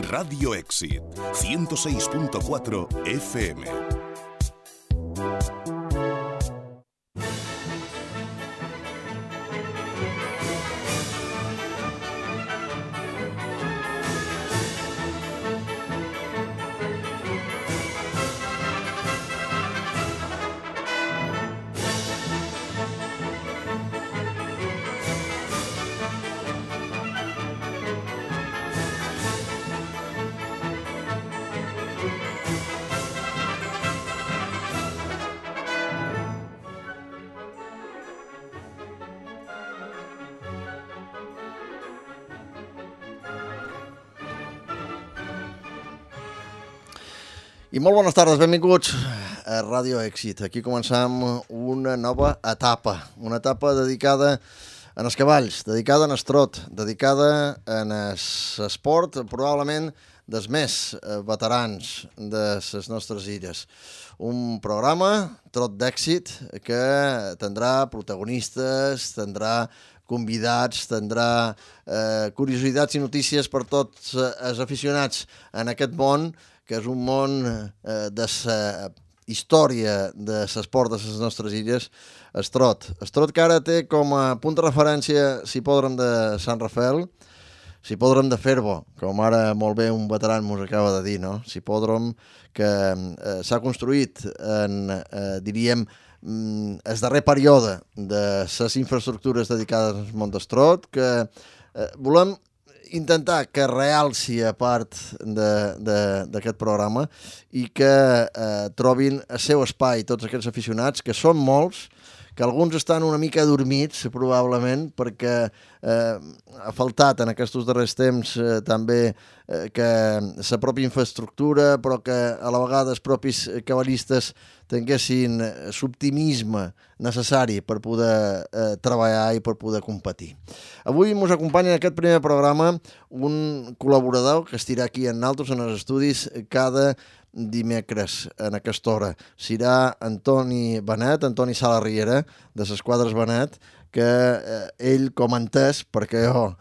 Radio Èxit, 106.4 FM. I molt bones tardes, benvinguts a Radio Èxit. Aquí començam una nova etapa dedicada en els cavalls, dedicada en el trot, dedicada en l'esport, probablement dels més veterans de les nostres illes. Un programa, Trot d'Èxit, que tindrà protagonistes, tindrà convidats, tindrà curiositats i notícies per tots els aficionats en aquest món, que és un món de la història de l'esport de les nostres illes, el trot. El trot que ara té com a punt de referència l'hipòdrom de Sant Rafael, l'hipòdrom de Ferbo, com ara molt bé un veteran mos acaba de dir, no? L'hipòdrom que s'ha construït en, diríem, el darrer període de les infraestructures dedicades al món del trot, que volem intentar que realci a part d'aquest programa i que trobin el seu espai tots aquests aficionats, que són molts, que alguns estan una mica adormits, probablement, perquè ha faltat en aquests darrers temps també que la pròpia infraestructura, però que a la vegada els propis cavallistes tinguessin l'optimisme necessari per poder treballar i per poder competir. Avui ens acompanya en aquest primer programa un col·laborador que estirà aquí en nosaltres en els estudis cada dimecres en aquesta hora. Serà Antoni Benet, Antoni Sala Riera, de les Quadres Benet, que ell, com entès, perquè jo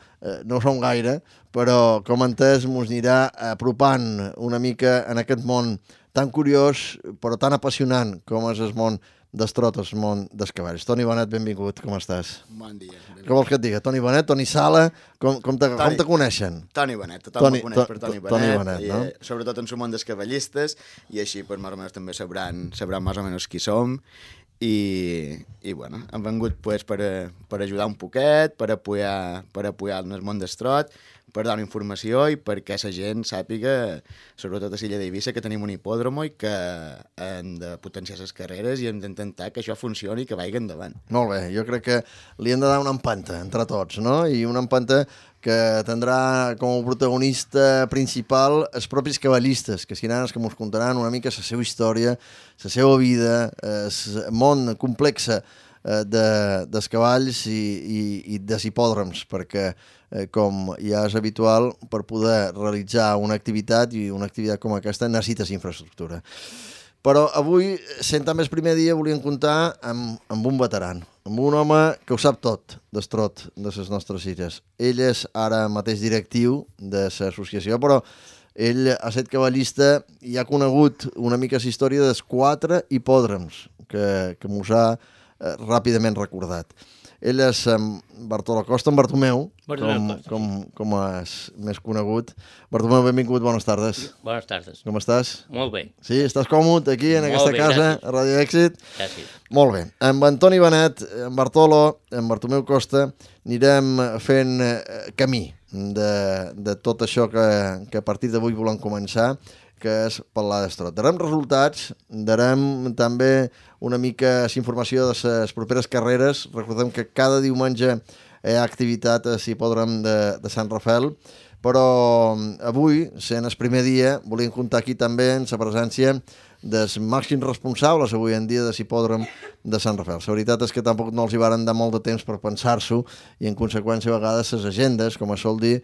no ho som gaire, però com entès mos anirà apropant una mica en aquest món tan curiós però tan apassionant com és el món del trot, el món dels cavalls. Toni Benet, benvingut, com estàs? Bon dia. Què vols que et diga? Toni Benet, Toni Sala, com te coneixen? Toni Benet, tothom me coneix per Toni Benet, Toni Benet, no? Sobretot en el món dels cavallistes, i així pues, més o menys també sabran més o menys qui som, i bueno, hem vengut pues, per ajudar un poquet, per apoyar en el món del trot, per donar informació i perquè la gent sàpiga, sobretot a l'illa d'Eivissa, que tenim un hipòdromo i que hem de potenciar les carreres i hem d'intentar que això funcioni i que vagi endavant. Molt bé, jo crec que li hem de dar una empenta entre tots, no? I una empenta que tindrà com a protagonista principal els propis cavallistes, que seran els que ens contaran una mica la seva història, la seva vida, el món complex dels cavalls i dels hipòdroms, perquè com ja és habitual, per poder realitzar una activitat i una activitat com aquesta necessites infraestructura. Però avui, sent també el primer dia, volíem comptar amb un veteran, amb un home que ho sap tot del trot de les nostres illes. Ell és ara mateix directiu de l'associació, però ell ha estat cavallista i ha conegut una mica la història dels 4 hipòdroms que mos ha ràpidament recordat. Ell és Bartoló Costa, en Bartomeu, com és més conegut. Bartomeu, benvingut, bones tardes. Bones tardes. Com estàs? Molt bé. Sí, estàs còmode aquí, en aquesta casa, gràcies. a Radio Èxit? Gràcies. Molt bé. Amb Antoni Benet, en Bartoló, en Bartomeu Costa, anirem fent camí de tot això que a partir d'avui volem començar, que és parlar del trot. Darem resultats, darem també una mica informació de les properes carreres. Recordem que cada diumenge hi ha activitat a l'hipòdrom de Sant Rafael, però avui, sent el primer dia, volíem comptar aquí també en la presència dels màxims responsables avui en dia de l'hipòdrom de Sant Rafael. La veritat és que tampoc no els hi varen dar molt de temps per pensar-s'ho i en conseqüència a vegades les agendes, com es sol dir,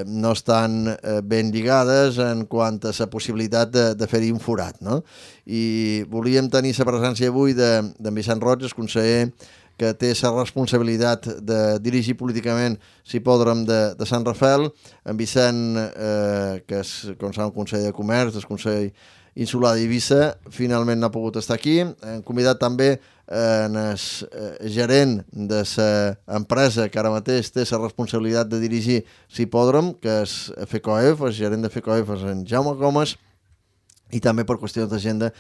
no estan ben lligades en quant a la possibilitat de fer-hi un forat, no? I volíem tenir la presència avui d'en Vicent Roig, el conseller que té la responsabilitat de dirigir políticament l'hipòdrom de Sant Rafael, en Vicent, que és, com sabeu, el Consell de Comerç, el Consell Insular d'Eivissa, finalment no ha pogut estar aquí. Hem convidat també el gerent de l'empresa que ara mateix té la responsabilitat de dirigir l'hipòdrom, que és FECOEF, el gerent de FECOEF és en Jaume Gomes, i també per qüestions d'agenda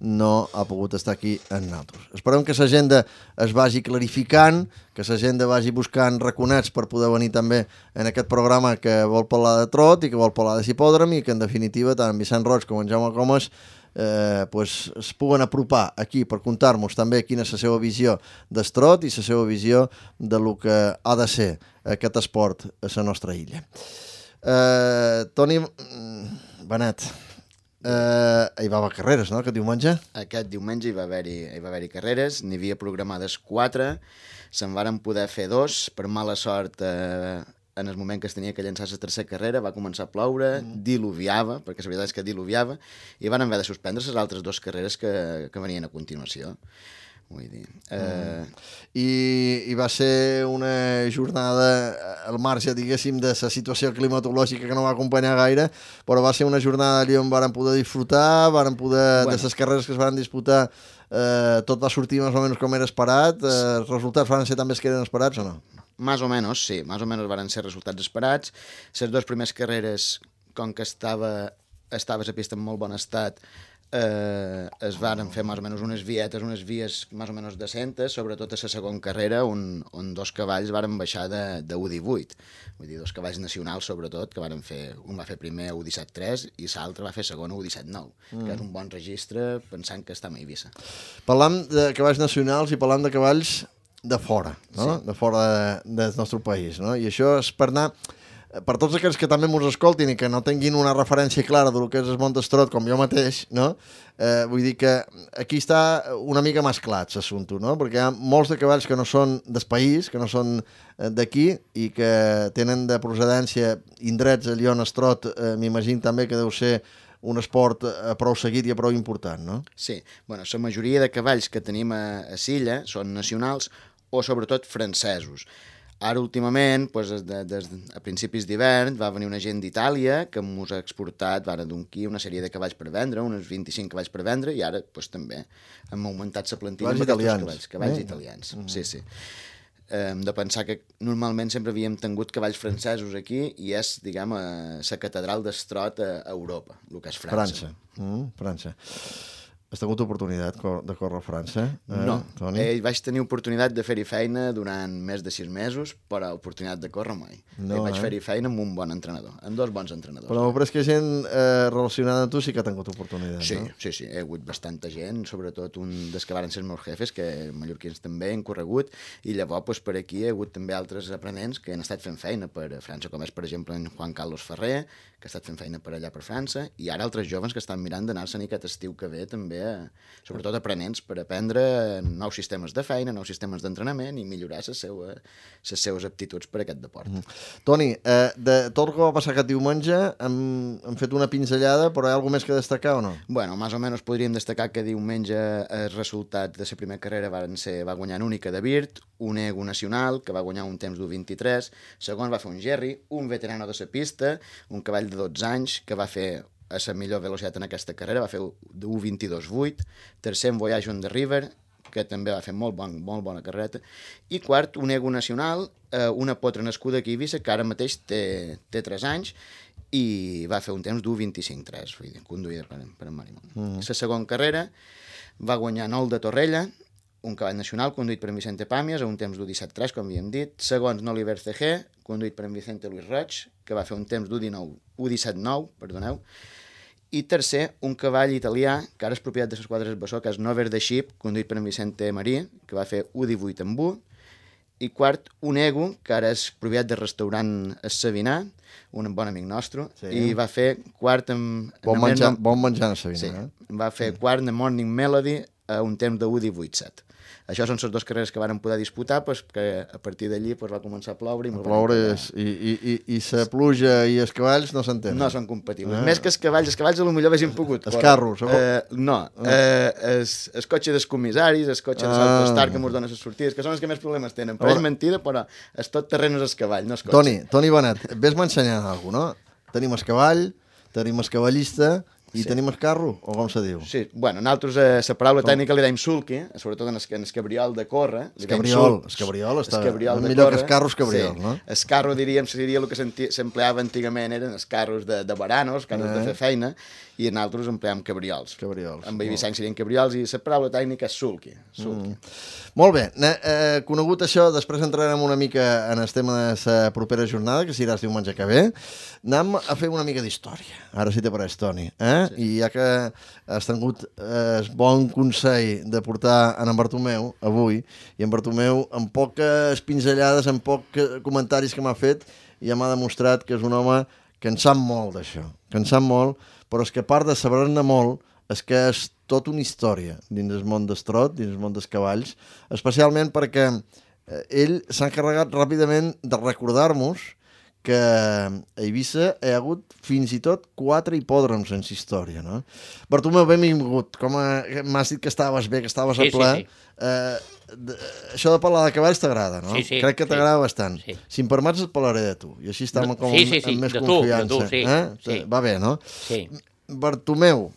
no ha pogut estar aquí amb nosaltres. Esperem que l'agenda es vagi clarificant, que l'agenda vagi buscant raconets per poder venir també en aquest programa que vol parlar de trot i que vol parlar de hipòdrom, i que en definitiva tant en Vicent Roig com en Jaume Gomes es puguen apropar aquí per contar-nos també quina és la seva visió del trot i la seva visió de lo que ha de ser aquest esport a la nostra illa. Toni Benet, hi va haver carreres, no?, aquest diumenge? Aquest diumenge hi va haver-hi carreres, n'hi havia programades 4, se'n varen poder fer 2, per mala sort en el moment que es tenia que llançar la tercera carrera va començar a ploure, diluviava, perquè la veritat és que diluviava, i van haver de suspendre les altres 2 carreres que venien a continuació. Vull dir... I va ser una jornada al marge, diguéssim, de la situació climatològica que no va acompanyar gaire, però va ser una jornada allà on varen poder disfrutar, de les carreres que es van disputar, tot va sortir més o menys com era esperat. Els resultats van ser també els que eren esperats o no? Más o menos, sí, más o menos van ser resultats esperats. Les 2 primeres carreres, com que estava a pista en molt bon estat, es varen fer més o menys unes vies més o menys decentes, sobretot a la segona carrera on 2 cavalls varen baixar de U18, vull dir, 2 cavalls nacionals sobretot, que varen fer, un va fer primer U17-3 i l'altre va fer segon U17-9, que és un bon registre pensant que està a Eivissa. Parlam de cavalls nacionals i parlam de cavalls de fora, no? Sí. De fora del nostre país, no? I això és per anar... Per tots aquells que també ens escoltin i que no tinguin una referència clara del que és el món del trot, com jo mateix, no? Vull dir que aquí està una mica més clar l'assumpte, no? Perquè hi ha molts de cavalls que no són del país, que no són d'aquí i que tenen de procedència indrets allà on es trot, m'imagino també que deu ser un esport prou seguit i prou important, no? Sí, bueno, la majoria de cavalls que tenim a Silla són nacionals o sobretot francesos. Ara, últimament, a principis d'hivern, va venir una gent d'Itàlia que ens ha exportat d'unquí una sèrie de cavalls per vendre, uns 25 cavalls per vendre, i ara també hem augmentat la plantilla amb aquests cavalls italians. Sí, sí. Hem de pensar que normalment sempre havíem tingut cavalls francesos aquí i és, diguem, la catedral del trot a Europa, el que és França. França. Has tingut oportunitat de córrer a França? No, Toni? Vaig tenir oportunitat de fer-hi feina durant més de 6 mesos, però oportunitat de córrer mai. Vaig fer-hi feina amb un bon entrenador, amb 2 bons entrenadors. Però m'ho que gent relacionada amb tu sí que ha tingut oportunitat, sí, no? Sí, he hagut bastanta gent, sobretot un dels que varen ser els meus jefes, que mallorquins també han corregut, i llavors per aquí he hagut també altres aprenents que han estat fent feina per França, com és per exemple en Juan Carlos Ferrer, que ha estat fent feina per allà per França, i ara altres joves que estan mirant d'anar-se'n aquest estiu que ve també, sobretot aprenents, per aprendre nous sistemes de feina, nous sistemes d'entrenament i millorar les seues aptituds per a aquest deport. Toni, de tot el que va passar aquest diumenge hem fet una pinzellada, però hi ha alguna més que destacar o no? Bueno, més o menys podríem destacar que diumenge els resultats de la primera carrera va guanyar en Única de Virt, un ego nacional que va guanyar un temps d'1.23, segon va fer un Jerry, un veterano de la pista, un cavall de 12 anys que va fer a la millor velocitat en aquesta carrera, va fer 1.22.8, tercer en Voyage on the River, que també va fer molt bona carrereta, i quart, un ego nacional, una potra nascuda aquí a Eivissa, que ara mateix té 3 anys, i va fer un temps d'1.25.3, vull dir, conduïda per en Marimón. La segona carrera va guanyar Nol de Torrella, un cavall nacional conduït per en Vicente Pàmies, a un temps d'1.17.3, com havíem dit. Segons, Noliver CG, conduït per en Vicente Luis Roig, que va fer un temps d'1.17.9, I tercer, un cavall italià, que ara és propietat de les quadres Bassó, que és Nover the Ship, conduït per en Vicente Marí, que va fer 1.18 amb 1. I quart, un ego, que ara és propietat del restaurant El Savinar, un bon amic nostre, sí. I va fer quart amb... Bon menjar en Savinar, sí, va fer quart de Morning Melody, a un temps de 1:18:7. Això són les dues carreres que varen poder disputar, perquè a partir d'allí va començar a ploure. I la pluja i els cavalls no s'entenen. No són compatibles. Més que els cavalls potser haguessin pogut. Els carros. No, el cotxe dels comissaris, el cotxe de l'Autostar que ens donen les sortides, que són els que més problemes tenen. Però és mentida, però és tot terreny és el cavall, no el cotxe. Toni Benet, vés-me ensenyant alguna cosa, no? Tenim el cavall, tenim el cavallista i tenim el carro, o com se diu? Sí, bueno, nosaltres la paraula tècnica li dèiem sulky, sobretot en el cabriol de córrer. El cabriol està millor que el carro, el cabriol, no? El carro, diríem, seria el que s'empleava antigament, eren els carros de baranos, carros de fer feina, i nosaltres empleàvem cabriols. En Vicenç serien cabriols, i la paraula tècnica és sulky. Molt bé, conegut això, després entrarem una mica en el tema de la propera jornada, que serà el diumenge que ve. Anem a fer una mica d'història, ara sí te pareix, Toni. I ja que has tingut el bon consell de portar en Bartomeu avui, i en Bartomeu, amb poques pinzellades, amb pocs comentaris que m'ha fet, ja m'ha demostrat que és un home que en sap molt d'això, que en sap molt, però és que a part de saber-ne molt, és que és tota una història dins el món del trot, dins el món dels cavalls, especialment perquè ell s'ha encarregat ràpidament de recordar-nos que a Eivissa hi ha hagut fins i tot 4 hipòdroms en la història, no? Bartomeu, benvingut. Com m'has dit que estaves bé, que estaves a ple. Això de parlar de cavalls t'agrada, no? Sí. Crec que t'agrada bastant. Sí. Si em permets et parlaré de tu, i així estem com amb més confiança. Sí. Va bé, no? Sí. Bartomeu,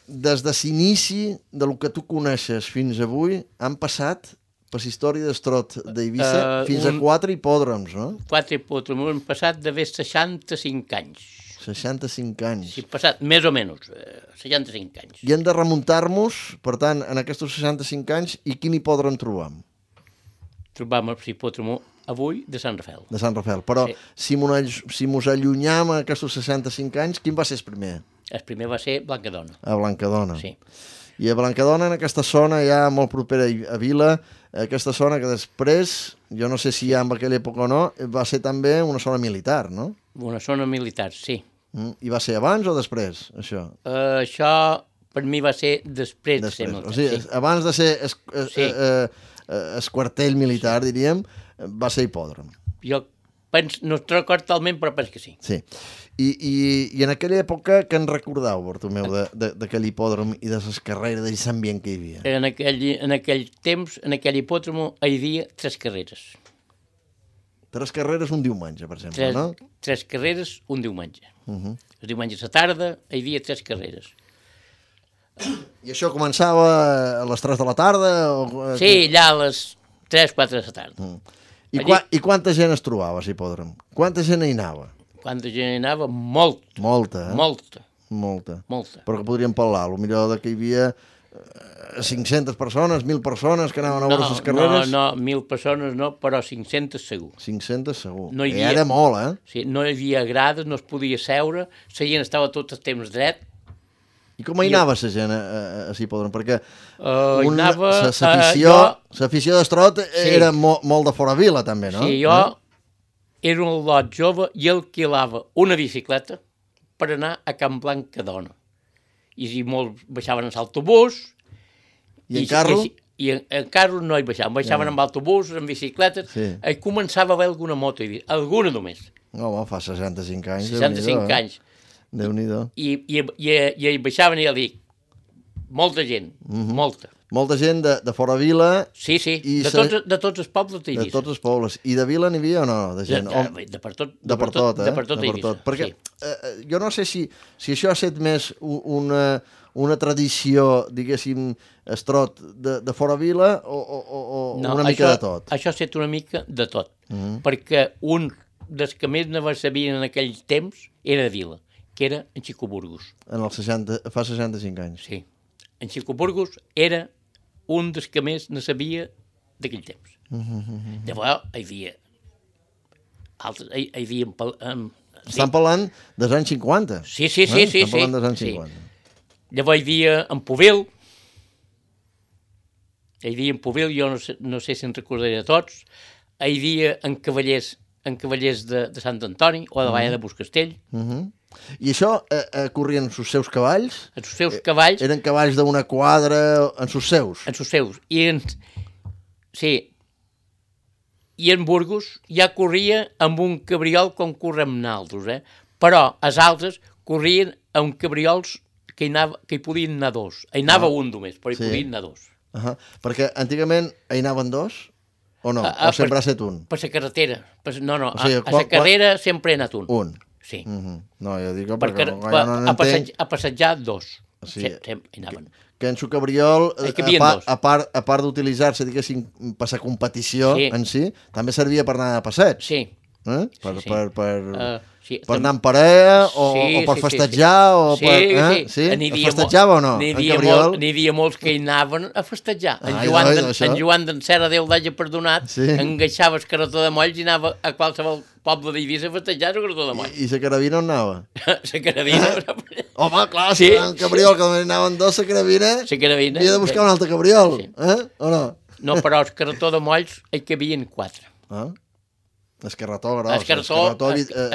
des de l'inici del que tu coneixes fins avui, han passat per la història del trot d'Eivissa fins a 4 hipòdroms, no? 4 hipòdroms, han passat d'haver 65 anys. 65 anys. Sí, passat, més o menys, 65 anys. I hem de remuntar-nos, per tant, en aquests 65 anys, i quin hipòdrom trobam? Trobam el hipòdrom avui de Sant Rafael. De Sant Rafael. Però si mos allunyam a aquests 65 anys, quin va ser el primer? El primer va ser Blancadona. A Blancadona. Sí. I a Blancadona, en aquesta zona ja molt propera a Vila, aquesta zona que després, jo no sé si ja en aquella època o no, va ser també una zona militar, no? Una zona militar, sí. I va ser abans o després, això? Això per mi va ser després de ser militar. O sigui, abans de ser el quartell militar, diríem, va ser hipòdrom. Jo penso, no es record talment, però penso que sí. Sí. I en aquella època, què en recordeu, Bartomeu, d'aquell hipòdrom i de les carreres, d'aquest ambient que hi havia? En aquell temps, en aquell hipòdrom, hi havia 3 carreres. 3 carreres un diumenge, per exemple, no? 3 carreres un diumenge. El diumenge a la tarda hi havia 3 carreres. I això començava a les 3 de la tarda? Sí, allà a les 3-4 de la tarda. I quanta gent es trobava a l'hipòdrom? Quanta gent hi anava? Quanta gent hi anava? Molta. Molta. Però que podríem parlar, potser que hi havia 500 persones, 1.000 persones que anaven a veure les carreres? No, 1.000 persones no, però 500 segur. 500 segur. No hi havia, era molt, eh? Sí, no hi havia grades, no es podia seure, la gent estava tot el temps dret. I com hi anava la gent a l'hipòdrom? Perquè l'afició d'estrot era molt de fora vila, també, no? Sí, jo era un lot jove i alquilava una bicicleta per anar a Can Blancadona. I si molts baixaven en l'autobús... I en carro? I en carro no hi baixaven amb autobús, en bicicletes, i començava a haver alguna moto, alguna només. No, fa 65 anys. 65 anys. Déu-n'hi-do. I hi baixaven i ja dic, molta gent, molta. Molta gent de fora vila... Sí, de tots els pobles d'Eivissa. De tots els pobles. I de vila n'hi havia o no, de gent? De per tot, de per tot Eivissa. Perquè jo no sé si això ha estat més una tradició, diguéssim, estrot de fora vila o una mica de tot? Això ha estat una mica de tot. Perquè un dels que més ne sabien en aquell temps era de Vila, que era en Xico Burgos. Fa 65 anys. Sí. En Xico Burgos era un dels que més ne sabia d'aquell temps. Llavors, hi havia... Estan parlant dels anys 50. Sí. Estan parlant dels anys 50. Llavors hi havia en Pubil, jo no sé si en recordaré de tots, hi havia en Cavallers de Sant Antoni o de Valla de Buscastell, I això corrien sus seus cavalls? Els seus cavalls... Eren cavalls d'una quadra en sus seus? En sus seus. Sí. I en Burgos ja corria amb un cabriol com correm naltros, però els altres corrien amb cabriols que hi podien anar dos. Hi anava un només, però hi podien anar dos. Perquè antigament hi anaven dos? O no? O sempre ha estat un? Per la carretera. No, a la carrera sempre he anat un. Un? Sí. No, jo dic perquè no n'entenc. A passejar dos. Sempre hi anaven. Que en su cabriol, a part d'utilitzar-se, diguéssim, per la competició en si, també servia per anar a passeig. Sí. Per anar en parella o per festejar o per... Sí? Festejava o no? N'hi havia molts que hi anaven a festejar. En Joan d'en Serra, Déu l'hagi perdonat, engaixava el carretó de molls i anava a qualsevol poble d'Eivissa a festejar el carretó de molls. I la carabina on anava? La carabina... Home, clar, si en cabriol que anaven dos, la carabina havia de buscar un altre cabriol, o no? No, però el carretó de molls hi cabien 4. El carretó gros, el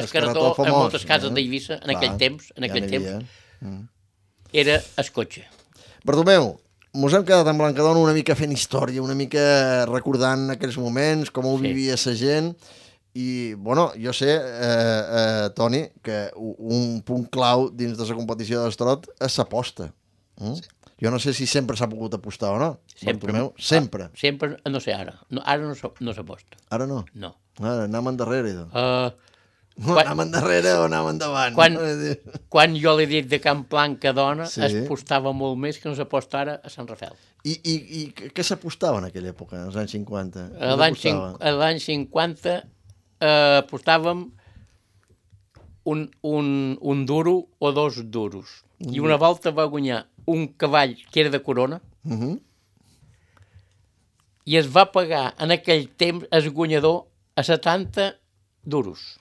carretó en moltes cases d'Eivissa, en aquell temps, era el cotxe. Bartomeu, mos hem quedat en Blancadona una mica fent història, una mica recordant aquells moments, com ho vivia la gent, i, bueno, jo sé, Toni, que un punt clau dins de la competició d'estrot és l'aposta. Jo no sé si sempre s'ha pogut apostar o no. Bartomeu, sempre. Sempre, no sé, ara. Ara no s'aposta. Ara no? No. Ara, anàvem endarrere. Anàvem endarrere o anàvem endavant? Quan jo l'he dit de Can Blancadona, es apostava molt més que no s'aposta ara a Sant Rafel. I què s'apostava en aquella època, als anys 50? A l'any 50 apostàvem un duro o 2 duros. I una volta va guanyar un cavall que era de corona i es va pagar en aquell temps el guanyador a 70 duros.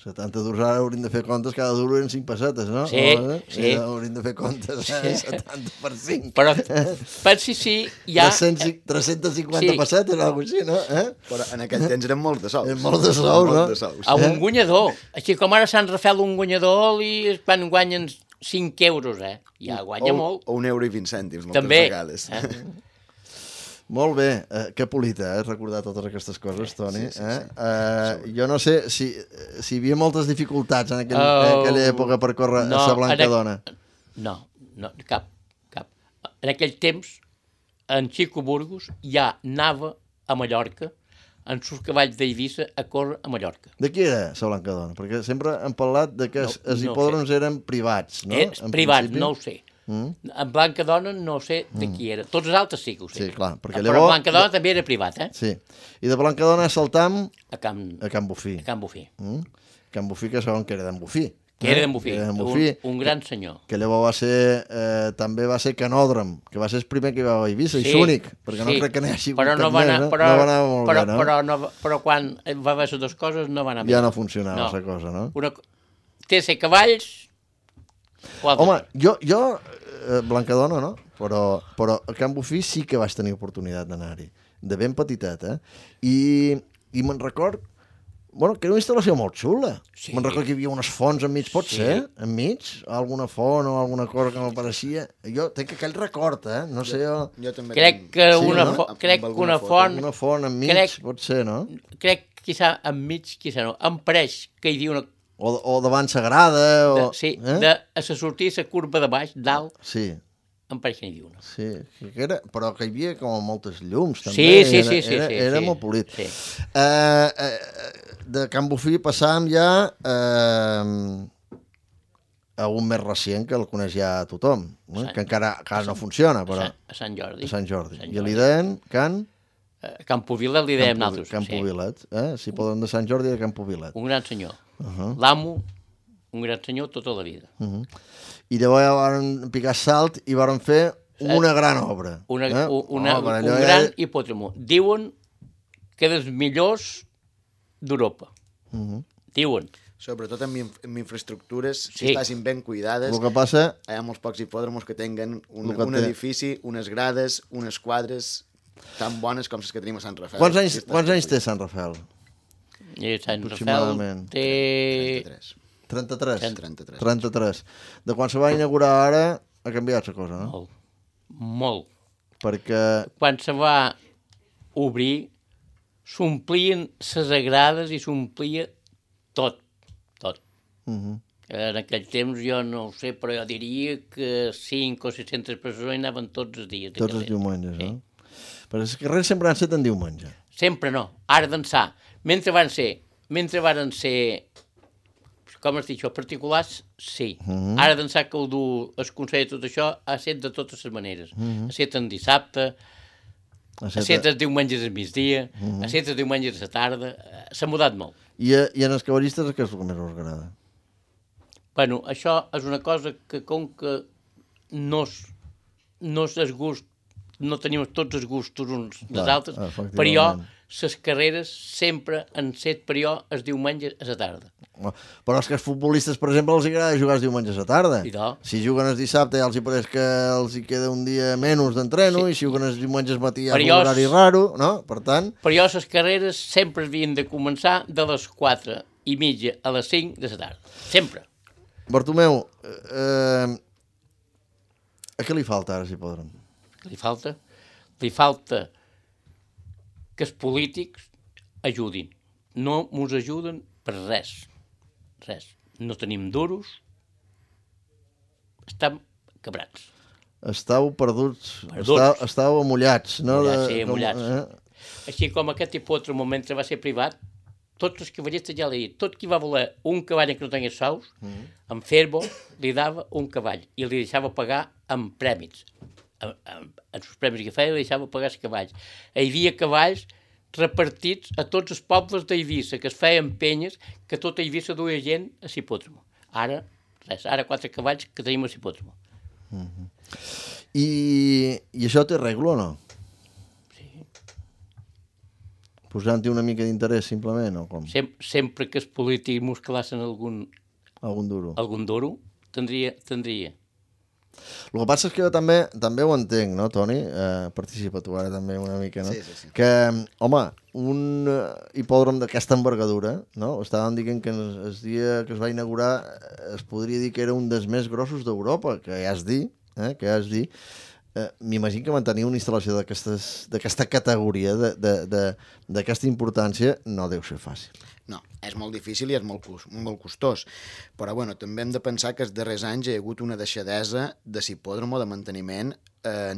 70 duros, ara hauríem de fer comptes, cada duro eren 5 pessetes, no? Sí. Hauríem de fer comptes, 70 per 5. Però, per si hi ha... 350 pessetes o alguna cosa així, no? Però en aquell temps eren molts de sous. Eren molts de sous, no? A un guanyador. Així com ara Sant Rafel un guanyador i quan guanyen 5 euros, ja guanya molt. O 1,20 €, moltes vegades. Molt bé, que polita, recordar totes aquestes coses, Toni. Jo no sé si hi havia moltes dificultats en aquella època per córrer a la Blancadona. No, cap. En aquell temps, en Xico Burgos ja anava a Mallorca en sus cavalls d'Eivissa a córrer a Mallorca. De qui era la Blancadona? Perquè sempre hem parlat de que els hipòdroms eren privats, no? Privats, no ho sé. En Blancadona no sé de qui era. Tots els altres sí que ho sé. Sí, clar. Però Blancadona també era privat, Sí. I de Blancadona saltam a Can Bufí. A Can Bufí, que saben que era d'en Bufí. Que era d'en Bufí, un gran senyor. Que llavors va ser, també va ser canòdrom, que va ser el primer que va a Eivissa, i l'únic, perquè no crec que n'hi hagi cap més, no va anar molt bé, no? Però quan va haver les dues coses no va anar bé. Ja no funcionava la cosa, no? Té ser cavalls... Home, jo Blancadona, no? Però a Can Bufí sí que vaig tenir oportunitat d'anar-hi, de ben petitet, I me'n record, que era una instal·lació molt xula. Me'n record que hi havia unes fonts enmig, pot ser? Enmig? Alguna font o alguna cosa que m'apareixia. Jo tenc aquell record, no sé... Jo també crec que una font... Una font enmig, pot ser, no? Crec que enmig, no. Em pareix que hi havia una... O davant Sagrada, Sí, a la sortida, la curva de baix, dalt, em pareix que n'hi havia una. Sí, però que hi havia com moltes llums, també. Sí. Era molt polit. De Can Bufí passàvem ja a un més recent, que el coneix ja tothom, que encara no funciona, però... A Sant Jordi. A Sant Jordi. I li deien Can... Can Pubilet li dèiem nosaltres. Can Pubilet, si poden de Sant Jordi de Can Pubilet. Un gran senyor. L'amo, un gran senyor tota la vida. I llavors van picar salt i van fer una gran obra. Un gran hipòdromo. Diuen que dels millors d'Europa. Diuen. Sobretot amb infraestructures, si estàssim ben cuidades. El que passa... Hi ha molts pocs hipòdromos que tenen un edifici, unes grades, unes quadres tan bones com les que tenim a Sant Rafel. Quants anys té Sant Rafel? Sant Rafel té... 33? 33. 33. De quan se va inaugurar ara ha canviat la cosa, no? Molt, molt. Perquè... Quan se va obrir, s'omplien les agrades i s'omplia tot, tot. En aquell temps jo no ho sé, però jo diria que 500 o 600 persones anaven tots els dies. Tots els diumenges, no? Però els carrers sempre han estat en diumenge. Sempre no, ara d'ençà. Mentre varen ser, com es diu això, particulars, sí. Ara d'ençà que ho du el Consell de tot això, ha estat de totes les maneres. Ha estat en dissabte, ha estat els diumenges al migdia, ha estat els diumenges a la tarda, s'ha mudat molt. I en els cavallistes què és el que més us agrada? Bueno, això és una cosa que com que no és el gust, no tenim tots els gustos uns dels altres, per jo, les carreres sempre han set per jo els diumenges a la tarda. Però és que els futbolistes, per exemple, els agrada jugar els diumenges a la tarda. Si juguen el dissabte ja els hi pareix que els hi queda un dia menys d'entreno, i si juguen els diumenges matí ja és un horari raro, no? Per tant... Per jo les carreres sempre havien de començar de les 4:30 a les 5 de la tarda. Sempre. Bartomeu, a què li falta ara, si podrem? Li falta? Li falta que els polítics ajudin. No mos ajuden per res. Res. No tenim duros. Estem quebrats. Estàu perduts. Estàu amullats, no? Sí, amullats. Així com aquest hipòdromo, mentre va ser privat, tots els cavallistes ja l'he dit, tot qui va voler un cavall que no tingués sous, en Ferbo li dava un cavall i li deixava pagar amb prèmits. En els premis que feia li deixava pagar els cavalls. Hi havia cavalls repartits a tots els pobles d'Eivissa, que es feien penyes, que tota Eivissa duia gent a l'hipòdromo. Ara, res, ara 4 cavalls que tenim a l'hipòdromo. I això té regla o no? Posant-hi una mica d'interès, simplement, o com? Sempre que els polítics musclassen algun duro, tindria. El que passa és que jo també ho entenc, no, Toni? Participa tu ara també una mica, no? Sí. Que, home, un hipòdrom d'aquesta envergadura, no? Estàvem dient que el dia que es va inaugurar es podria dir que era un dels més grossos d'Europa, que ja es dir, m'imagino que mantenir una instal·lació d'aquesta categoria, d'aquesta importància, no deu ser fàcil. No, és molt difícil i és molt costós. Però bueno, també hem de pensar que els darrers anys hi ha hagut una deixadesa de l'hipòdromo, de manteniment,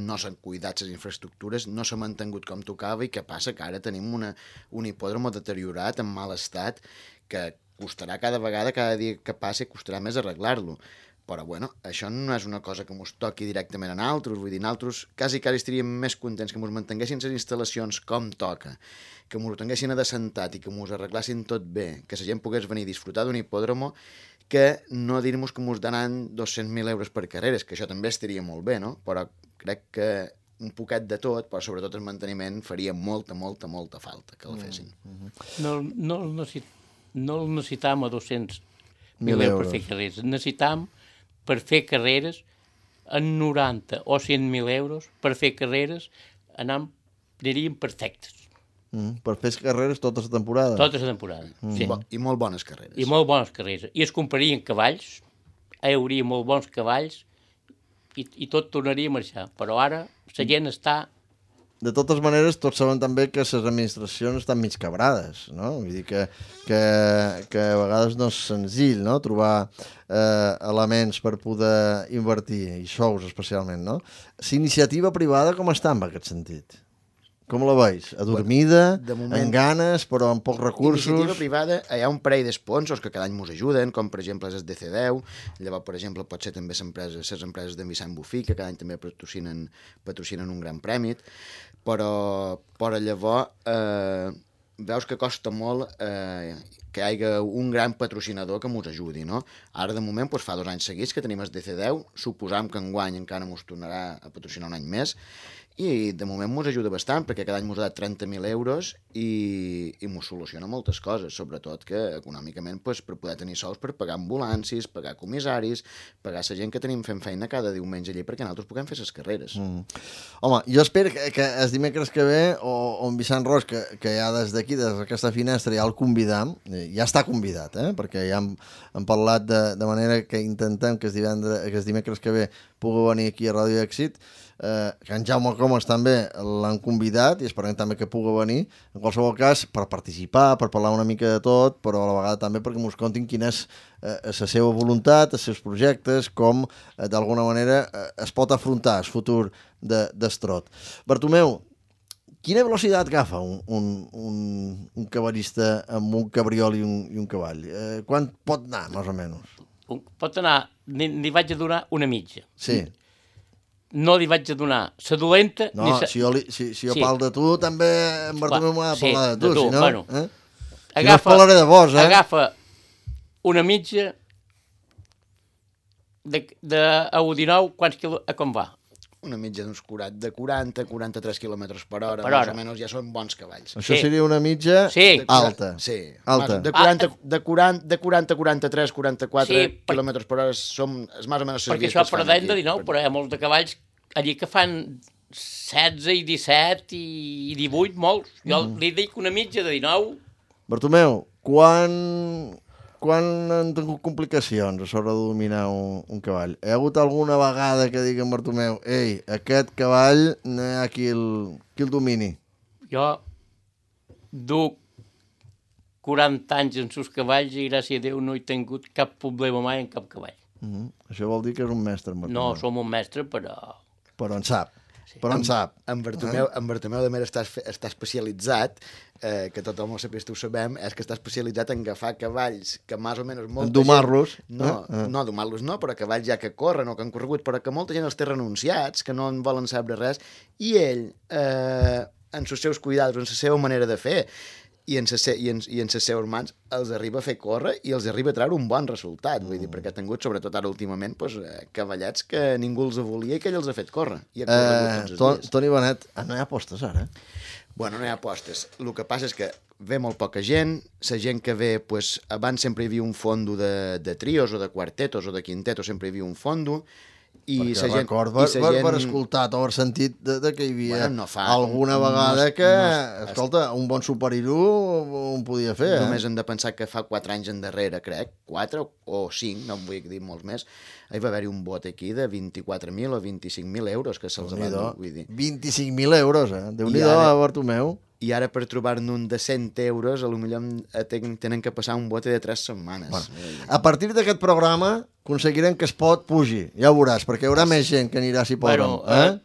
no s'han cuidat les infraestructures, no s'ha mantingut com tocava, i què passa? Que ara tenim un hipòdromo deteriorat, en mal estat, que costarà cada dia que passi, costarà més arreglar-lo. Però, bueno, això no és una cosa que mos toqui directament a nosaltres, vull dir, nosaltres quasi estaríem més contents que mos mantinguessin les instal·lacions com toca, que mos ho tinguessin adassentat i que mos arreglassin tot bé, que la gent pogués venir a disfrutar d'un hipòdromo, que no dir-nos que mos donaran 200.000 euros per carreres, que això també estaria molt bé, no? Però crec que un poquet de tot, però sobretot el manteniment faria molta falta que el fessin. No el necessitam a 200.000 euros per fer carreres, necessitam per fer carreres en 90 o 100.000 euros per fer carreres anirien perfectes. Per fer carreres tota la temporada? Tota la temporada, sí. I molt bones carreres. I molt bones carreres. I es comprarien cavalls, hi hauria molt bons cavalls i tot tornaria a marxar. Però ara la gent està... De totes maneres, tots sabem també que les administracions estan mig quebrades, no? Vull dir que a vegades no és senzill, no?, trobar elements per poder invertir, i sous especialment, no? L'iniciativa privada com està en aquest sentit? Com la veus? Adormida, amb ganes, però amb pocs recursos? Iniciativa privada, hi ha un parell d'esponsors que cada any mos ajuden, com per exemple és el DC10, llavors, per exemple, pot ser també les empreses d'en Vicent Bufí, que cada any també patrocinen un gran premi, però llavors veus que costa molt que hi hagi un gran patrocinador que mos ajudi, no? Ara, de moment, fa 2 anys seguits que tenim el DC10, suposam que enguany encara mos tornarà a patrocinar un any més, i de moment mos ajuda bastant, perquè cada any mos ha dat 30.000 euros i mos soluciona moltes coses, sobretot que econòmicament per poder tenir sous per pagar ambulancis, pagar comissaris, pagar la gent que tenim fent feina cada diumenge allí perquè nosaltres puguem fer les carreres. Home, jo espero que el dimecres que ve, o en Vicent Ros, que ja des d'aquí, des d'aquesta finestra, ja el convidam, ja està convidat, perquè ja hem parlat de manera que intentem que el dimecres que ve pugui venir aquí a Ràdio Èxit, que en Jaume Comas també l'han convidat i esperem també que pugui venir, en qualsevol cas, per participar, per parlar una mica de tot, però a la vegada també perquè ens contin quina és la seva voluntat, els seus projectes, com d'alguna manera es pot afrontar el futur d'Estrot. Bartomeu, quina velocitat agafa un cavallista amb un cabriol i un cavall? Quan pot anar, més o menys? Pot anar, li vaig a donar una mitja. Sí. No li vaig a donar la dolenta... No, si jo parlo de tu, també en Bartomeu m'ha de parlar de tu, si no... Bueno, si no es parlaré de vos, Agafa una mitja a 19, quants quilòmetres, a com va? Una mitja d'uns 40-43 km per hora, Per més hora. o menys ja són bons cavalls. Això seria una mitja alta. Sí, alta. De 40, 43, 44 Sí, km per hora són més o menys... Perquè això perdem de 19, però hi ha molts de cavalls allí que fan 16 i 17 i 18, molts. Jo li dic una mitja de 19. Bartomeu, quan han tingut complicacions a sobre de dominar un cavall? Hi ha hagut alguna vegada que digui en Bartomeu, ei, aquest cavall no hi ha qui el domini? Jo duc 40 anys en sus cavalls i gràcies a Déu no he tingut cap problema mai en cap cavall. Això vol dir que és un mestre, en Bartomeu. No som un mestre, però... Però en sap. Però en sap. En Bartomeu de més està especialitzat, que tothom ho sapies, ho sabem, és que està especialitzat en agafar cavalls que més o menys molta en domar-los. No, domar-los no, però cavalls ja que corren o que han corregut, però que molta gent els té renunciats, que no en volen saber res, i ell, en els seus cuidats, en la seva manera de fer, i en les seves mans els arriba a fer córrer i els arriba a treure un bon resultat, vull dir, perquè ha tingut, sobretot ara últimament, cavallets que ningú els volia i que ell els ha fet córrer. I ha corregut tots els dies. Toni Benet, no hi ha apostes ara? Bueno, no hi ha apostes. El que passa és que ve molt poca gent, la gent que ve, abans sempre hi havia un fondo de trios o de quartetos o de quintetos, sempre hi havia un fondo, i perquè record, per escoltat o per sentit que hi havia alguna vegada que, escolta, un bon superirú un podia fer. Només hem de pensar que fa 4 anys endarrere, crec, 4 o 5, no em vull dir molts més, hi va haver-hi un bot aquí de 24.000 o 25.000 euros que se'ls va dur, vull dir. 25.000 euros, Déu-n'hi-do, Bartomeu. I ara per trobar-ne un de 100 euros, potser tenen que passar un bote de 3 setmanes. Bueno, a partir d'aquest programa aconseguirem que es pot pugi, ja ho veuràs, perquè hi haurà més gent que anirà si poden.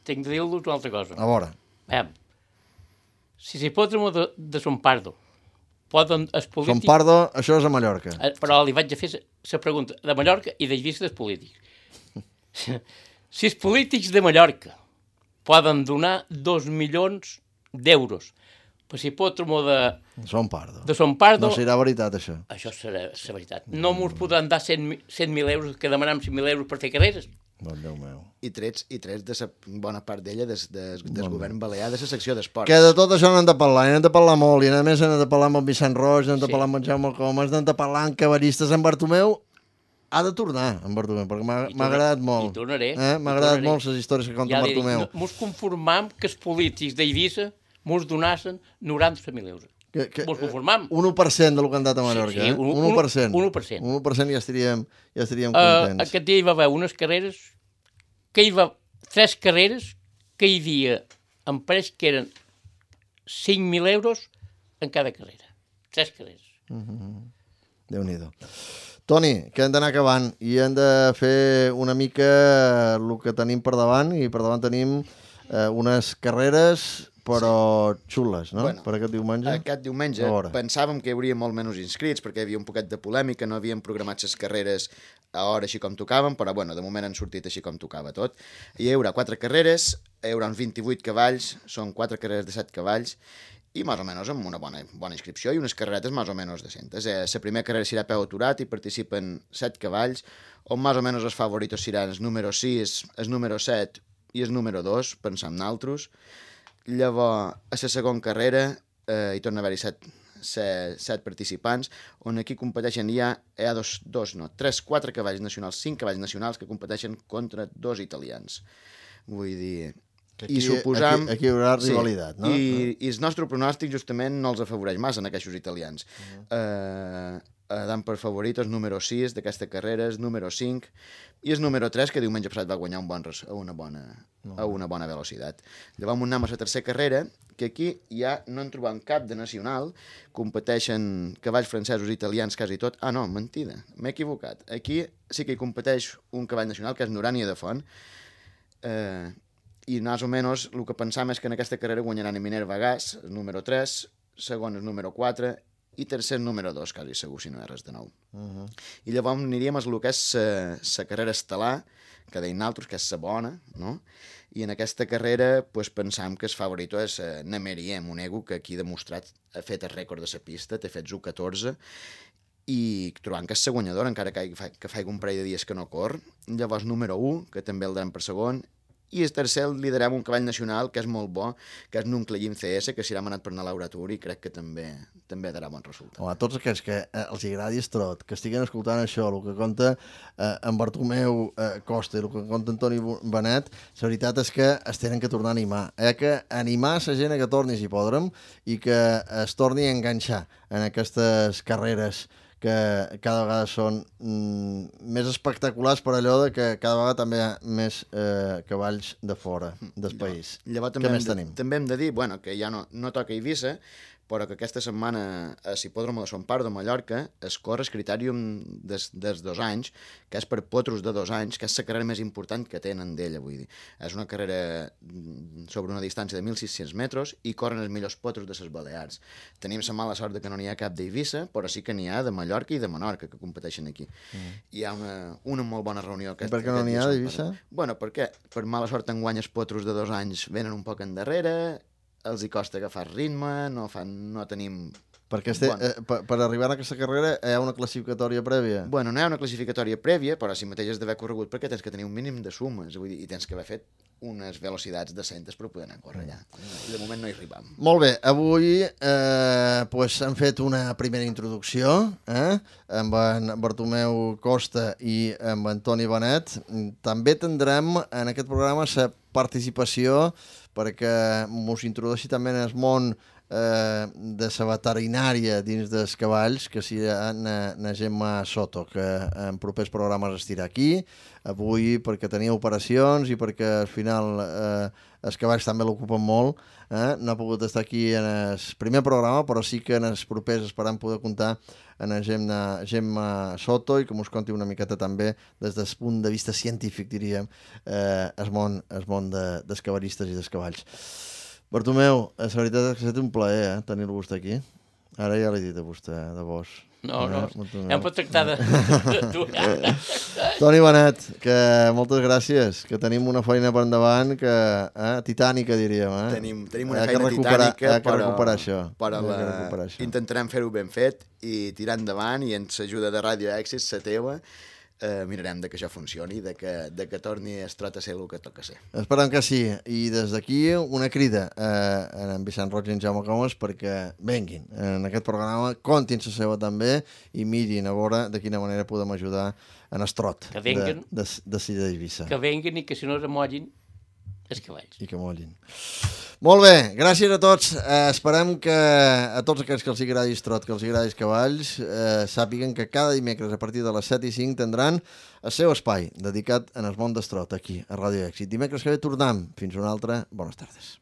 Tinc de dir-vos una altra cosa. A veure. Si s'hipòdromo de Son Pardo poden els polítics... Son Pardo, això és a Mallorca. Però li vaig a fer la pregunta de Mallorca i de vista dels polítics. Si els polítics de Mallorca poden donar 2 milions d'euros per l'hipòdromo de Son Pardo... No serà veritat, això. Això serà la veritat. No mos podran dar 100.000 euros, que demanem 100.000 euros per fer carreres. Bon Déu meu. I trets de la bona part d'ella del govern balear, de la secció d'esports. Que de tot això n'hem de parlar, i n'hem de parlar molt, i a més n'hem de parlar amb en Vicent Roig, n'hem de parlar amb en Jaume Comas, n'hem de parlar amb cavallistes. En Bartomeu ha de tornar, en Bartomeu, perquè m'ha agradat molt. I tornaré. M'ha agradat molt les històries que conta en Bartomeu. Mos conformam que els polítics d'Eivissa mos donassen 90.000 euros. Mos conformam. 1% del que han dat a Mallorca, sí, 1%. 1% ja estaríem contents. Aquest dia hi va haver unes carreres, que hi va 3 carreres, que hi havia, em pareix que eren 5.000 euros en cada carrera. 3 carreres. Déu-n'hi-do. Toni, que hem d'anar acabant i hem de fer una mica el que tenim per davant, i per davant tenim unes carreres però xules, no? Bueno, per aquest diumenge. Aquest diumenge pensàvem que hi hauria molt menys inscrits perquè hi havia un poquet de polèmica, no havíem programat les carreres a hora així com tocaven, però bueno, de moment han sortit així com tocava tot. Hi haurà 4 carreres, hi haurà uns 28 cavalls, són 4 carreres de 7 cavalls, i més o menys amb una bona inscripció i unes carreretes més o menys decentes. La primera carrera serà a peu aturat i participen 7 cavalls, on més o menys els favoritos seran el número 6, el número 7 i el número 2, pensam naltros. Llavors, a la segona carrera hi torna a haver-hi 7 participants, on aquí competeixen hi ha 4 cavalls nacionals, 5 cavalls nacionals que competeixen contra 2 italians. Vull dir... I suposam... Aquí hi haurà rivalitat, no? I el nostre pronòstic justament no els afavoreix massa en aquests italians. Dan per favorit el número 6 d'aquesta carrera, el número 5 i el número 3, que diumenge passat va guanyar a una bona velocitat. Llavors anem a la tercera carrera, que aquí ja no en trobem cap de nacional, competeixen cavalls francesos i italians quasi tot. Ah, no, mentida, m'he equivocat. Aquí sí que hi competeix un cavall nacional, que és Norània de Font, i més o menys el que pensam és que en aquesta carrera guanyaran a Minerva Gas, el número 3, segon el número 4 i tercer el número 2, quasi segur, si no hi ha res de nou. I llavors aniríem a el que és la carrera estel·lar, que deien altres, que és la bona, no? I en aquesta carrera pensam que el favorit és Nemeriem, un ego que aquí ha demostrat, ha fet el rècord de la pista, té fet 1.14, i trobant que és la guanyadora, encara que faig un parell de dies que no corre. Llavors número 1, que també el daran per segon, i el tercer el liderem un cavall nacional que és molt bo, que és Nuncleyim CS, que s'hi ha manat per anar a l'Auratur i crec que també darà bon resultat. Home, tots aquells que els agradi el trot, que estiguen escoltant això, el que conta en Bartomeu Costa i el que conta Antoni Benet, la veritat és que es tenen que tornar a animar. Que animar la gent que torni si podrem i que es torni a enganxar en aquestes carreres que cada vegada són més espectaculars per allò de que cada vegada també hi ha més cavalls de fora del país. Llavors Què més tenim? També hem de dir que ja no toca Eivissa, però que aquesta setmana a l'Hipòdrom de Son Pare de Mallorca es corre el critèrium dels 2 anys, que és per potros de 2 anys, que és la carrera més important que tenen d'ella, vull dir. És una carrera sobre una distància de 1.600 metres i corren els millors potros de les Balears. Tenim la mala sort que no n'hi ha cap d'Eivissa, però sí que n'hi ha de Mallorca i de Menorca, que competeixen aquí. Hi ha una molt bona reunió. I per què no n'hi ha d'Eivissa? Bueno, perquè per mala sort enguany els potros de 2 anys venen un poc endarrere, els hi costa agafar ritme, no tenim... Perquè per arribar a aquesta carrera hi ha una classificatòria prèvia? Bueno, no hi ha una classificatòria prèvia, però si mateix has d'haver corregut perquè tens que tenir un mínim de sumes, vull dir, i tens que haver fet unes velocitats decentes per poder anar a córrer allà. I de moment no hi arribam. Molt bé, avui hem fet una primera introducció amb en Bartomeu Costa i amb Antoni Benet. També tindrem en aquest programa la participació perquè mos introdueixi també en el món de la veterinària dins dels cavalls, que si na Gemma Soto, que en propers programes estirà aquí, avui perquè tenia operacions i perquè al final els cavalls també l'ocupen molt, no ha pogut estar aquí en el primer programa, però sí que en els propers esperam poder comptar en la Gemma Soto i que mos conti una miqueta també des del punt de vista científic, diríem, el món dels cavallistes i dels cavalls. Bartomeu, la veritat és que ha estat un plaer tenir-lo vostè aquí. Ara ja l'he dit a vostè, de vos. No, ja em pot tractar de tu. Toni Benet, que moltes gràcies, que tenim una feina per endavant que titànica, diríem. Tenim una feina titànica, però intentarem fer-ho ben fet i tirar endavant, i amb l'ajuda de Ràdio Èxit, la teva, mirarem que això funcioni, de que torni el trot a ser el que toca ser. Esperem que sí, i des d'aquí una crida a en Vicent Roig i en Jaume Comas perquè venguin en aquest programa, contin la seva també i mirin a veure de quina manera podem ajudar en el trot de Sida d'Eivissa. Que venguin i que si no es mollin els cavalls. I que mollin. Molt bé, gràcies a tots. Esperem que a tots aquells que els agradi el trot, que els agradi els cavalls, sàpiguen que cada dimecres a partir de les 7:05 tindran el seu espai dedicat en el món del trot aquí a Ràdio Èxit. Dimecres que ve tornem. Fins una altra. Bones tardes.